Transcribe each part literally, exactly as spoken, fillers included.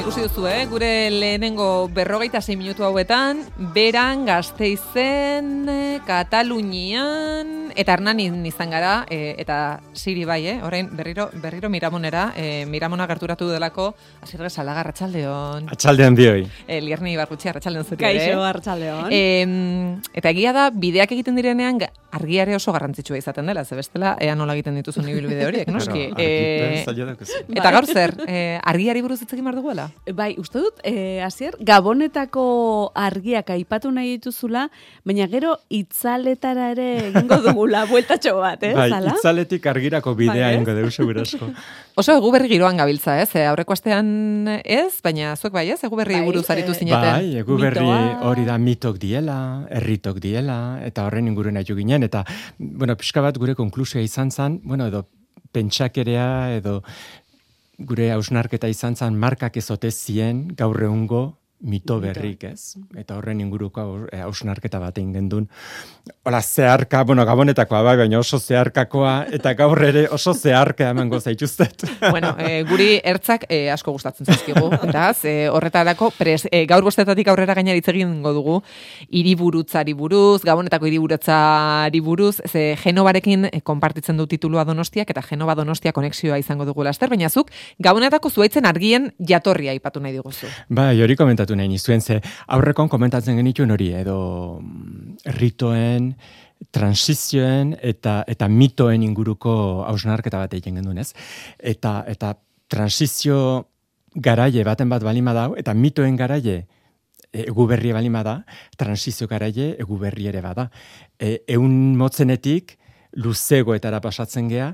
ikusi duzu, eh? Gure lehenengo berrogeita sei minutu hauetan, Beran, Gasteizen, Katalunian, eta Hernanin izan gara, e, eta Siri bai, eh? Orain berriro, berriro Miramonera, e, Miramona gerturatu delako, Asier Gezalaga, arratsaldeon. Arratsaldeon bioi. E, Lierni Barrutxi, arratsaldeon zuri, Kaixo, arratsaldeon. E, eta egia da, bideak egiten direnean, argiare oso garrantzitsua izaten dela, ze bestela, ea nola egiten dituzun ibilbide horiek, noski. Bueno, e, eta gaur zer, e, argiari buruz hitz egin behar duguela? Bai, uste dut, eh, Asier, Gabonetako argiak aipatu nahi dituzula, baina gero itzaletara ere egingo dugula, bueltatxo bat, eh? Bai, Zala? itzaletik argirako bidea Bai, egingo dugu segurasko. Oso egu berri giroan gabiltza, ez? E, aurreko astean ez, baina zuek bai, ez? Egu berri Bai, buruz aritu eh, zineten. Bai, egu berri Mitoa. hori da mitok diela, herritok diela, eta horren inguruen aitu ginen, eta, bueno, pixka bat gure konklusioa izan zen, bueno, edo pentsakerea, edo gure hausnarketa izan zen markak ezote zien gaur egungo mito berrik, ez? Eta horren inguruko hausnarketa bat egin gendun. Hola, zeharka, bueno, Gabonetakoa bai, baina oso zeharkakoa, eta gaur ere oso zeharka emango zaituztet. Bueno, e, guri ertzak e, asko gustatzen zaizkigu, beraz, e, horretarako pres, e, gaur bostetatik aurrera gainera hitz egingo dugu hiriburutzari buruz, Gabonetako hiriburutzari buruz, ze Genovarekin e, konpartitzen du titulua Donostiak, eta Genova Donostia konexioa izango dugu laster, baina zuk Gabonetako zuaitzen argien jatorria aipatu nahi diguzu. Bai, hori komentatu nahi nizuen, ze aurrekon komentatzen genituen hori, edo ritoen, transizioen eta eta mitoen inguruko hausnarketa bat egin gendun, ez? Eta, eta transizio garaie baten bat balima dau, eta mitoen garaie egu berri balima da, transizio garaie egu berri ere bada. E, eun motzenetik, luzegoetara pasatzen gea,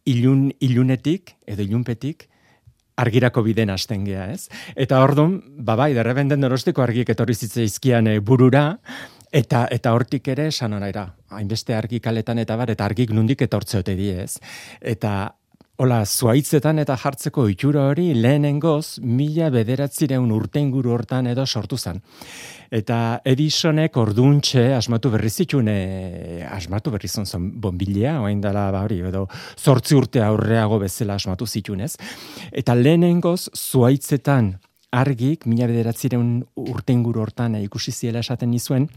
ilun, ilunetik, edo ilunpetik, argirako biden hasten gea, ez? Eta orduan, babai, derrebenden Donostiko argiek etorri zitzaizkian e, burura, eta eta hortik ere esan onaira, hainbeste argi kaletan eta bar, eta argik nundik etortzeote die, ez? Eta hola, zuaitzetan eta jartzeko itxura hori lehenengoz mila bederatzireun urte inguru hortan edo sortu zen. Eta Edisonek orduntxe asmatu berri zituen, e, asmatu berri zon zen bonbilea, oain dela ba hori, edo zortzi urte aurreago bezala asmatu zituen, ez? Eta lehenengoz zuaitzetan argik mila bederatzireun urte inguru hortan e, ikusi ziela esaten nizuen,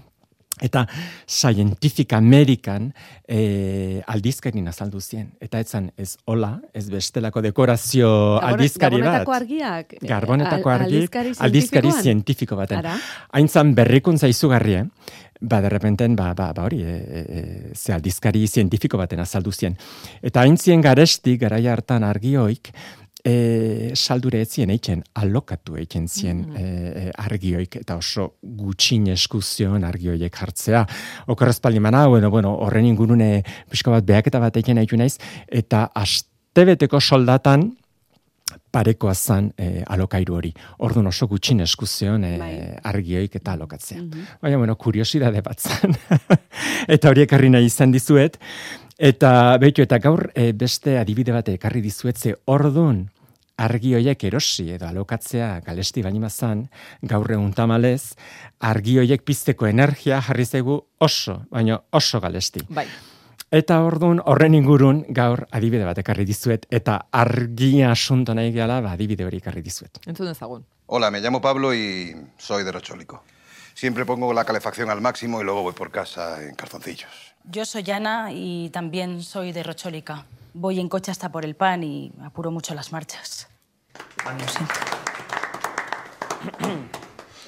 eta Scientific American e, aldizkarin azaldu zien. Eta etzan ez hola, ez bestelako dekorazio aldizkari bat. Gabonetako argiak? Garbonetako Al- argi, aldizkari aldizkari zientifikoan? zientifiko baten. Ara? Haintzan berrikuntza izugarri, eh? Ba, derrepenten, ba, ba, ba hori, e, e, ze aldizkari zientifiko baten azaldu zien. Eta haintzien garesti, garaia hartan argioik, E, saldure etzien eitzen, alokatu eitzen zien mm. e, argioik, eta oso gutxin eskuzion argioiek hartzea. Okorrezpaldi mana, bueno, bueno, horren ingurune pixka bat behaketa bat eitzen eitu naiz, eta astebeteko soldatan parekoa zan e, alokairu hori. Orduan oso gutxin eskuzion e, Bai. argioik eta alokatzea. Mhm. Baina, bueno, kuriosidade bat zan. Eta horiek harri nahi izan dizuet. Eta behitu, eta gaur e, beste adibide bat ekarri dizuet, ze orduan argi horiek erosi edo alokatzea galesti baina zan, gaur egun tamalez, argi horiek pizteko energia jarri zaigu oso, baina oso galesti. Bai. Eta orduan horren ingurun gaur adibide bat ekarri dizuet, eta argia asunto nahi gala, ba, adibide hori ekarri dizuet. Entzun ezagun. Hola, me llamo Pablo y soy de Rochólico. Siempre pongo la calefacción al máximo y luego voy por casa en calzoncillos. Yo soy Ana y también soy de Rochólica. Voy en coche hasta por el pan y apuro mucho las marchas. Lo siento.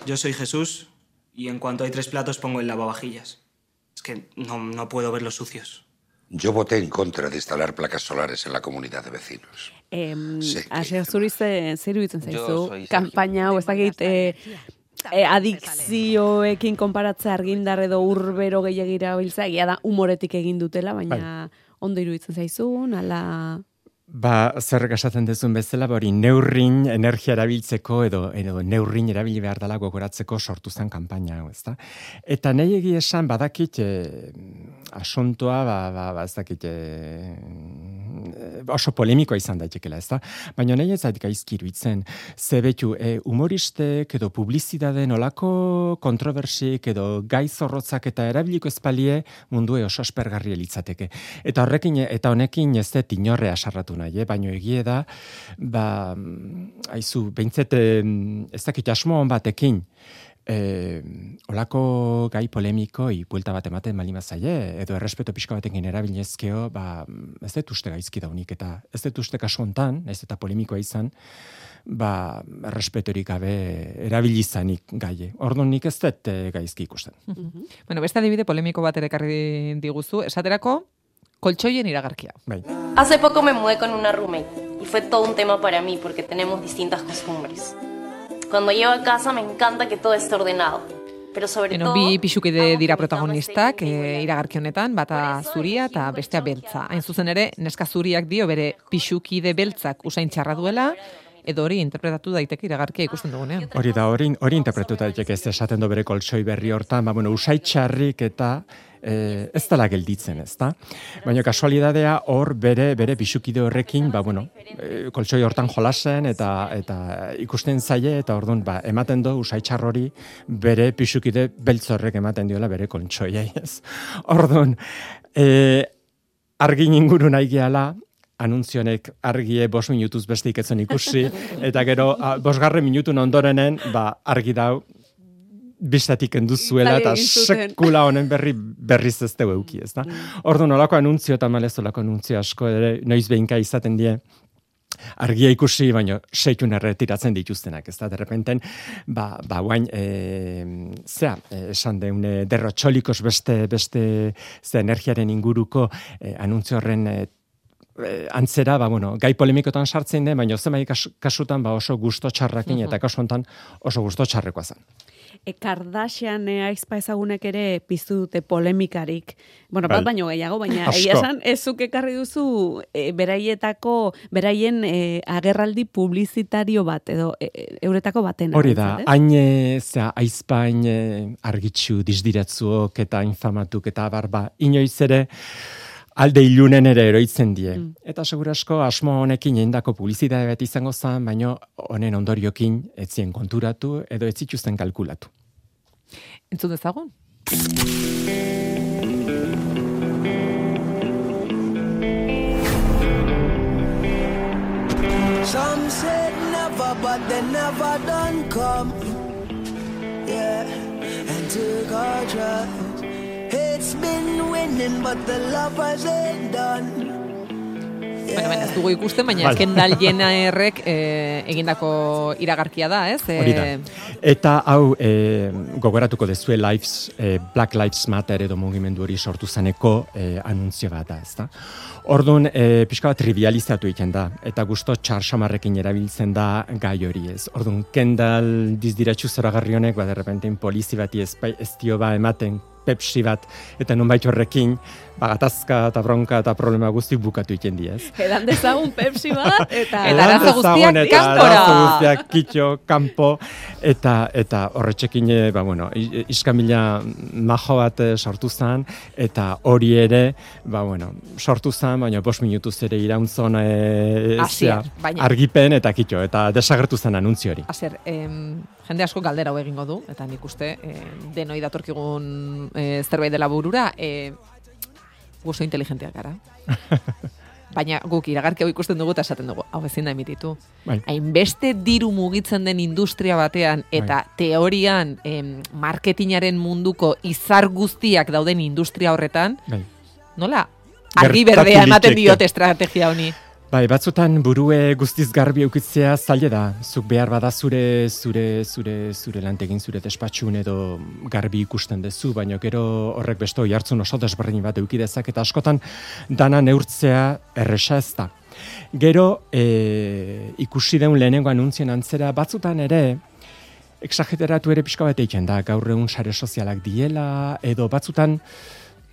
Yo soy Jesús y en cuanto hay tres platos pongo el lavavajillas. Es que no, no puedo verlos sucios. Yo voté en contra de instalar placas solares en la comunidad de vecinos. Eh, Sí, que Asier, zuri ze, zer iruditzen Yo zaizu, soy Sergio. kanpaina hau ez dakit e, e, adikzioekin konparatzea argindar edo urbero gehiagira biltzea, egia da humoretik egin dutela, baina ondo iruditzen zaizun, ala... Ba, zerrek esaten dezun bezala, ba hori neurrin energia erabiltzeko edo, edo neurrin erabili behar dela gogoratzeko sortu zen kanpaina hau, ezta? Eta nahi egi esan badakit e, asuntoa, ba, ba, ba ez dakit, e, oso polemikoa izan daitekela, ezta? Baina nahi ez zait gaizki iruditzen, ze betu, e, humoristek edo publizitateen olako kontroversik edo gai zorrotzak eta erabiliko ezpalie mundue oso aspergarria litzateke. Eta horrekin, eta honekin ez dut inorre asarratu nahi, eh? Baina egie da, ba, aizu, behintzet, ez dakit asmo hon batekin, E, olako gai polemikoi buelta bat ematen malima zaie, edo errespeto pixka batekin erabilezkeo, ba, ez dut uste gaizki daunik, eta ez dut uste kasu hontan, ez eta polemikoa izan, ba, errespetorik gabe erabilizanik gaie. Orduan nik ez dut e, gaizki ikusten. Mm-hmm. Bueno, beste adibide polemiko bat ere ekarri diguzu, esaterako, koltsoien iragarkia. Bai. Hace poco me mudé con una roommate, y fue todo un tema para mí, porque tenemos distintas costumbres. Cuando llego a casa me encanta que todo esté ordenado. Pero sobre Eno, todo... bi pixukide dira protagonistak e, iragarki honetan, bata zuria eta bestea beltza. Hain zuzen ere, neska zuriak dio bere pixukide beltzak usain txarra duela, edo hori interpretatu daiteke iragarkia ikusten dugunean. Hori da, hori, hori interpretatu daiteke ez esaten do bere koltsoi berri hortan, ba, bueno, usai txarrik eta eh, ez dela gelditzen, ez da? Baina kasualidadea hor bere bere pixukide horrekin, ba, bueno, eh, koltsoi hortan jolasen eta eta ikusten zaie eta ordun ba, ematen do usai txar hori bere pixukide beltzorrek ematen diola bere koltsoiei, ez? Ordun, eh, argin inguru nahi gehala, anuntzionek argie bost minutuz beste iketzen ikusi, eta gero a, bosgarren minutun ondorenen, ba, argi dau, bistatik enduzuela, eta sekula honen berri berriz ez dugu euki, ez da? Ordu nolako anuntzio eta malez olako anuntzio asko ere, noiz behinka izaten die, argia ikusi, baina seitun erretiratzen dituztenak, ez da, derrepenten, ba, ba, guain, e, zea, esan deune, derrotxolikos beste, beste, ze energiaren inguruko e, anuntzio horren e, antzera, ba, bueno, gai polemikotan sartzen den, baina zenbait kasutan ba, oso gusto txarrakin, eta kasu hontan oso gusto txarrekoa zen. E, Kardashian e, aizpa ezagunek ere piztu dute polemikarik. Bueno, bat baino gehiago, baina egia esan, ezuk ekarri duzu e, beraietako, beraien e, agerraldi publizitario bat, edo e, euretako baten. Hori da, hain zea, aizpain e, argitxu, disdiratzuok eta infamatuk eta barba, inoiz ere, alde ilunen ere eroitzen die. Mm. Eta segurasko asmo honekin egindako publizitate bat izango zen, baino honen ondoriokin etzien konturatu edo ez zituzten kalkulatu. Entzun dezagun? Some said never, but they never done come. Yeah, and took our trust. It's been winning, but the lovers ain't done. Bueno, ben, ez dugu ikusten, baina vale. Kendall Jennerrek eh, egindako iragarkia da, ez? Hori da. Eta hau eh, gogoratuko dezue Lives, eh, Black Lives Matter edo mugimendu hori sortu zaneko eh, anuntzio bat da, ez da? Orduan, e, pixka bat trivializatu egiten da, eta gusto txarxamarrekin erabiltzen da gai hori ez. Orduan, Kendall dizdiratxu zoragarri honek, ba, derrepentein polizi bati ez, ez dio ba ematen, Pepsi bat, eta nonbait horrekin, bagatazka eta bronka eta problema guztik bukatu egiten diez. Edan dezagun Pepsi bat, eta arazo guztiak kanpora. Arazo guztiak kitxo, kanpo, eta eta horretxekin, ba, bueno, iskamila majo bat sortu zen, eta hori ere, ba, bueno, sortu zen, baina bost minutuz ere irauntzon e, Asier, baina. Argipen eta kitxo, eta desagertu zen anuntzio hori. Asier, em, jende asko galdera hau egingo du, eta nik uste eh, denoi datorkigun eh, zerbait dela burura, eh, guzo inteligenteak gara. Baina guk iragarki hau ikusten dugu eta esaten dugu, hau ezin da emititu. Bai. Hainbeste diru mugitzen den industria batean, eta bai. Teorian em, marketingaren munduko izar guztiak dauden industria horretan, bai. Nola? Argi berdea ematen diote estrategia honi. Bai, batzutan burue guztiz garbi eukitzea zaila da. Zuk behar bada zure zure zure zure lantegin zure despatxun edo garbi ikusten dezu, baina gero horrek beste oihartzun oso desberdin bat eduki dezak eta askotan dana neurtzea erresa ez da. Gero e, ikusi deun lehenengo anuntzien antzera batzutan ere exageratu ere pixka bat egiten da, gaur egun sare sozialak diela edo batzutan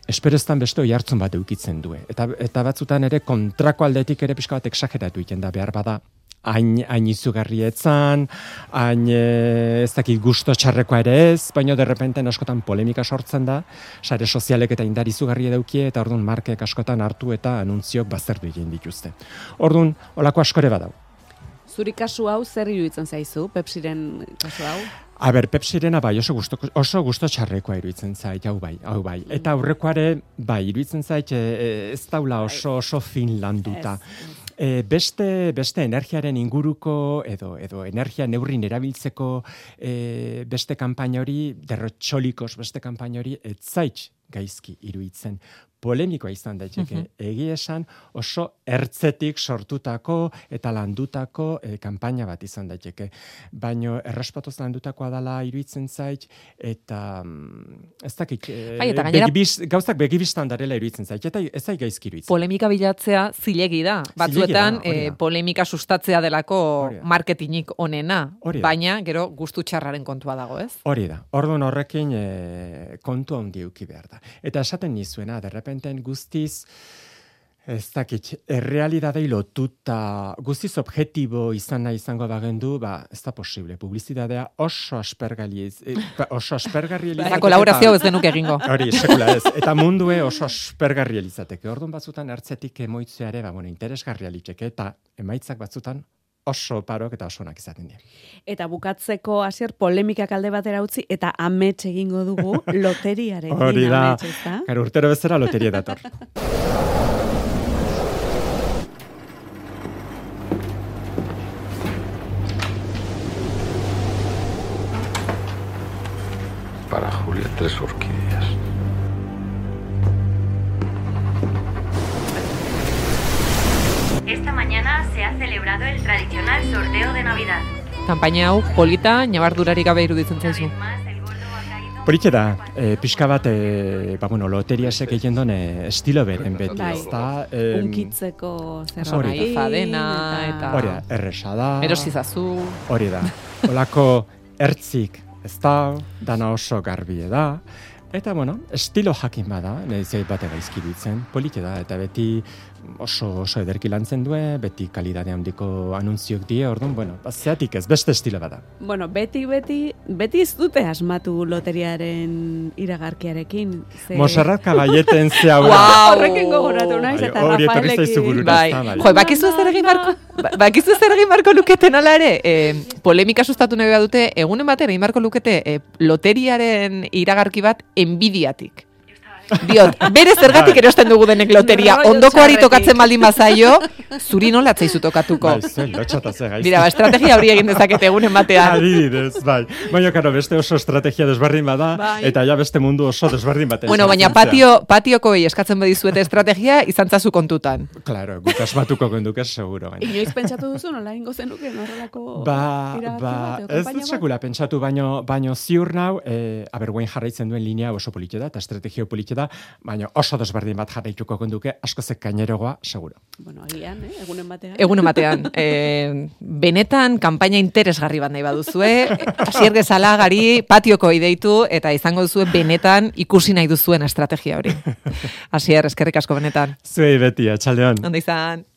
espereztan beste oihartzun bat eukitzen du. Eta, eta batzutan ere kontrako aldetik ere pixka bat exageratu egiten da behar bada hain, hain izugarrietzan, hain e, ez dakit gusto txarrekoa ere ez, baina derrepenten askotan polemika sortzen da, sare sozialek eta indar izugarri edaukie, eta orduan markek askotan hartu eta anuntziok bazterdu egin dituzte. Orduan, olako askore badau. Zuri kasu hau zer iruditzen zaizu, Pepsiren kasu hau? A ber, Pepsirena bai oso gusto, oso gusto txarrekoa iruditzen zait, hau bai, hau bai. Eta aurrekoare bai iruditzen zait e, ez daula oso oso fin landuta. E, beste, beste energiaren inguruko edo edo energia neurrin erabiltzeko e, beste kanpaina hori, derrotxolikos beste kanpaina hori, ez zait gaizki iruditzen. Polemikoa izan daiteke, uh-huh. egia esan oso ertzetik sortutako eta landutako e, kanpaina bat izan daiteke. Baino errespatuz landutakoa dela iruditzen zait, eta mm, ez dakik, e, bai, eta gainera, begibiz, gauzak begibistan darela iruditzen zait, eta ez zait gaizki iruditzen. Polemika bilatzea zilegi da. Batzuetan zilegi da, e, polemika sustatzea delako Orida. marketingik onena, Orida. baina gero gustu txarraren kontua dago, ez? Hori da, orduan horrekin e, kontu handi eduki behar da. Eta esaten nizuena, derrepenten guztiz, ez dakit, errealidadei lotuta, guztiz objektibo izan nahi izango bagendu, ba, ez da posible. Publizitatea oso aspergarri e, oso aspergarri elizateke. Eta kolaborazio ez denuk egingo. Hori, sekula ez. Eta mundue oso aspergarri elizateke. Orduan batzutan ertzetik emoitzeare, ba, bueno, interesgarria litzeke, eta emaitzak batzutan oso parok eta oso onak izaten dira. Eta bukatzeko hasier polemikak alde batera utzi eta amets egingo dugu loteriaren. Hori da, karo urtero bezala loteria dator. Para Julia, tres orquídeas. Esta mañana se ha celebrado el tradicional sorteo de Navidad. Kanpaina hau polita, ñabardurarik gabe iruditzen zaizu. Politxe da, e, pixka bat, e, ba, bueno, loteriasek egin duen e, estilo beren beti, bai. ez da? E, Unkitzeko zer hori fadena, eta... Hori da, erresa da. Erosizazu. Hori da, olako ertzik, ez da, dana oso garbie da. Eta, bueno, estilo jakin bada, nahi zeit bate gaizki ditzen, politxe da, eta beti oso oso ederki lantzen due, beti kalidade handiko anuntziok die, orduan, bueno, zeatik ez, beste estilo bada. Bueno, beti, beti, beti ez dute asmatu loteriaren iragarkiarekin. Ze... Moserrat Kabaieten ze hau. Wow! Horrekin gogoratu naiz, eta Hori etorri Rafaelekin. zaizu burura. Bai, ez da, bai. jo, bakizu zer egin barko, bakizu zer egin barko luketen ala ere, e, polemika sustatu nahi dute, egunen batera egin barko lukete e, loteriaren iragarki bat enbidiatik. Diot, bere zergatik erosten dugu denek loteria, ondokoari tokatzen baldin bazaio, zuri nola atzaizu tokatuko. Bai, zen, lotxata ze gaizki. Mira, ba, estrategia hori egin dezakete egunen batean. Adibidez, bai. Baina, karo, beste oso estrategia desberdin bada, bai. eta ja beste mundu oso desberdin baten. Bueno, baina patio, patiokoi eskatzen badizuete estrategia, izantzazu kontutan. Claro, guk asmatuko genduke, seguro. Baina. Inoiz pentsatu duzu, nola ingo zenuke, horrelako Ba, iragarki ba, bat, edo ez kanpaina dut bat? sekula pentsatu, baino, baino ziur nau, e, aber guain jarraitzen duen linea oso politxe da, eta estrategio politxe da, baina oso desberdin bat jarraituko genduke, asko zek kainerogoa, seguro. Bueno, agian, eh? egunen batean. Egunen batean. E, benetan, kanpaina interesgarri bat nahi baduzue, Asier Gezalagari patioko ideitu, eta izango duzue benetan ikusi nahi duzuen estrategia hori. Asier, eskerrik asko benetan. Zuei beti, atxaldeon. Ondo izan.